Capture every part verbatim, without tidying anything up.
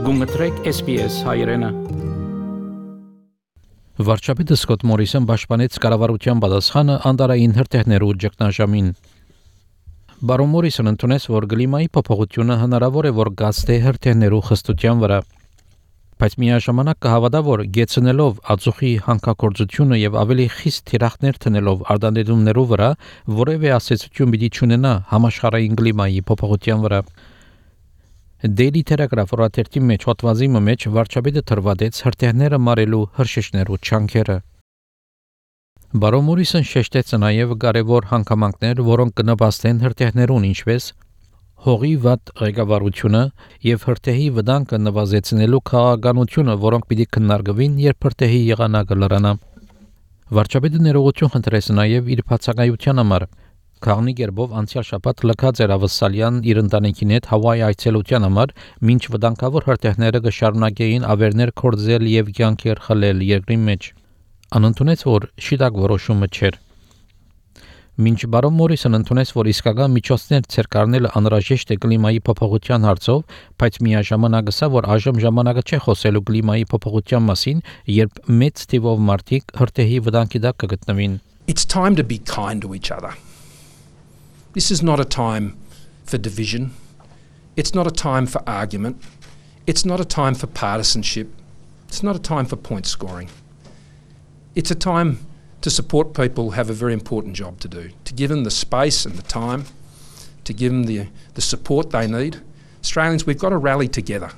Գումտրեք S B S հայրենը։ Վարչապետը Սկոտ Մորիսոն պաշտպանեց կառավարության պատասխանը անդարային հրթիռներու ճգնաժամին։ Բարոն Մորիսոն ընդունեց, որ կլիմայի փոփոխությունը հնարավոր է որ գացտե հրթիռներու խստության վրա, բայց միաժամանակ կհավատա, որ գեցնելով ածուխի հանքագործությունը եւ ավելի խիստ թիրախներ տնելով արտանետումներու վրա որևէ ասացություն պիտի չունենա համաշխարհային կլիմայի փոփոխության վրա։ Daily Telegraph օրաթերթի մեջ հոդվածի մեջ վարչապետը թրվադեց հրթիռները մարելու հրշեջներու չանքերը։ Բարոն Մորիսոն շեշտեց նաև կարևոր հանգամանքներ, որոնք կնպաստեն հրթիռներուն, ինչպես հողի վատ ղեկավարությունը եւ հրթիռի վտանգը նվազեցնելու քաղաքականությունը, որոնք պիտի քննարկվին, երբ հրթիռի եղանակը լրանա։ Վարչապետը ներողություն խնդրեց նաև իր բացակայության համար։ Քաղնի գերբով անցյալ շաբաթ լքած էր Ավսալյան իր ընտանիքին հետ Հավայի այցելության համար, մինչ վտանգավոր հրթիռները կշարունակեին ավերներ կորձել եւ կյանքեր խլել երկրի մեջ։ Անընդունեց, որ շիտակ որոշումը չէր։ Մինչ բարոն Մորիսոն ընդունեց, որ իսկական միջոցներ ցերկարնելը անհրաժեշտ է կլիմայի փոփոխության հարցով, բայց միաժամանակ ասա, որ այժմ ժամանակը չէ խոսելու կլիմայի փոփոխության մասին, երբ մեծ թիվով մարդիկ հրթիռի վտանգի տակ կգտնվին։ It's time to be kind to each other. This is not a time for division. It's not a time for argument. It's not a time for partisanship. It's not a time for point scoring. It's a time to support people who have a very important job to do, to give them the space and the time, to give them the, the support they need. Australians, we've got to rally together.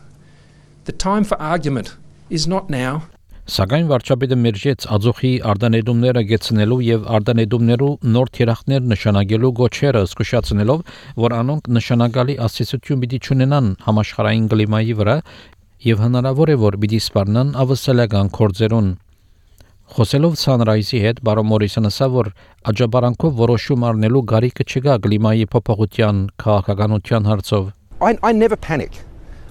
The time for argument is not now. Սակայն վարչապետը մերժեց ածուխի արտանետումները գեցնելու եւ արտանետումներու նոր թիրախներ նշանակելու գոչերը, զսկուշացնելով, որ անոնք նշանակալի ասացություն պիտի չունենան համաշխարհային կլիմայի վրա եւ հնարավոր է որ պիտի սպառնան ավսալական կորձերուն։ Խոսելով Sunrise-ի հետ բարոն Մորիսոնը ասա, որ աջաբարանքով որոշում առնելու գարիկը չկա կլիմայի փոփոխության քաղաքականության հարցով։ I, I never panic.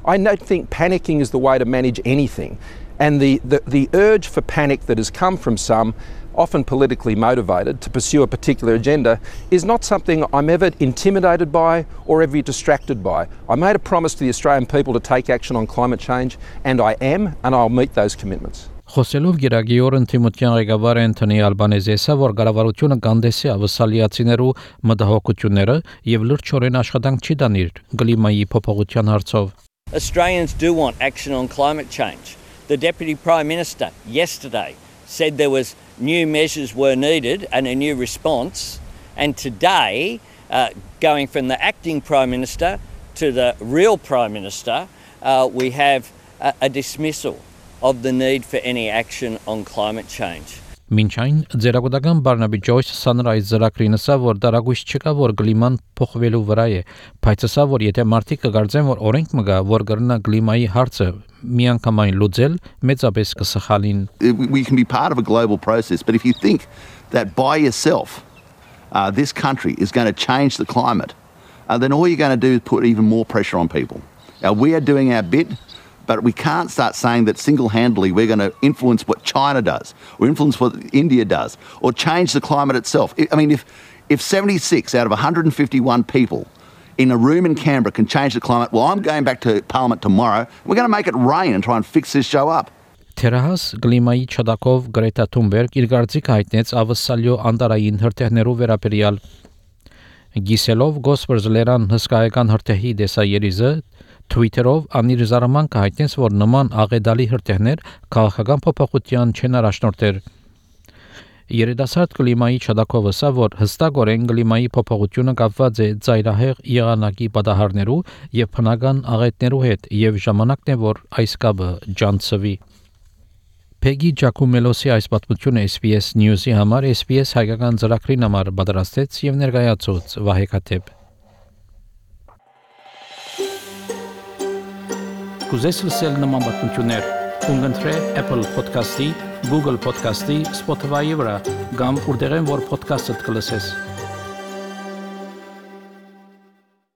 I don't think panicking is the way to manage anything. And the, the, the urge for panic that has come from some, often politically motivated, to pursue a particular agenda is not something I'm ever intimidated by or ever distracted by. I made a promise to the Australian people to take action on climate change, and I am, and I'll meet those commitments. Խոսելով գերագիորն Թիմոթեան ղեկավար Անթոնի Ալբանեզեսը, որ կառավարությունը կանդեսի ավսալիացիներու մտահոգությունները եւ լրջորեն աշխատանք չի դանիր կլիմայի փոփոխության հարցով։ Australians do want action on climate change. The Deputy Prime Minister yesterday said there was new measures were needed and a new response, and today, uh, going from the acting Prime Minister to the real Prime Minister, uh, we have a, a dismissal of the need for any action on climate change. Մինչ այն ձերագուտական Բարնաբի Ջոյս Sunrise ծրագրին ասա, որ դարագույս չկա, որ կլիման փոխվելու վրա է, բայց ասա, որ եթե մարդիկ կգարձեն, որ օրենք մը գա, որ կրնա կլիմայի հարցը միանգամայն լուծել, մեծապես կսխալին։ We can be part of a global process, but if you think that by yourself uh, this country is going to change the climate, uh, then all you're going to do is put even more pressure on people. Now, we are doing our bit. But we can't start saying that single-handedly we're going to influence what China does or influence what India does or change the climate itself. I mean, if, if seventy-six out of one hundred fifty-one people in a room in Canberra can change the climate, well, I'm going back to Parliament tomorrow. We're going to make it rain and try and fix this show up. Թերահաս գլիմայի չդակով Գրետա Թունբերգ իր գործիքը հայտնեց ավսալյո անդարային հրթիռներու վերաբերյալ։ Գիսելով Գոսպերզլերան հսկայական հրթիռի դեսայերիզը Twitter-ով անիր զարմանքը հայտնեց, որ նման աղետալի հրթիռներ քաղաքական փոփոխության չեն առաջնորդել։ Երիտասարդ կլիմայի չդակով ասա, որ հստակորեն կլիմայի փոփոխությունը կապված է ծայրահեղ եղանակի պատահարներու եւ բնական աղետներու հետ եւ ժամանակն է, որ այս կապը ջանցվի։ Peggy Giacomelosի այս պատմությունը S B S News-ի համար S B S հայկական ծրագրին համար պատրաստեց եւ ներկայացուց Վահե Քաթեփ։ Կուզես լսել նման պատմություններ, կընտրե Apple Podcast-ի, Google Podcast-ի, Spotify-ի վրա, կամ որտեղեն որ podcast-ը կլսես։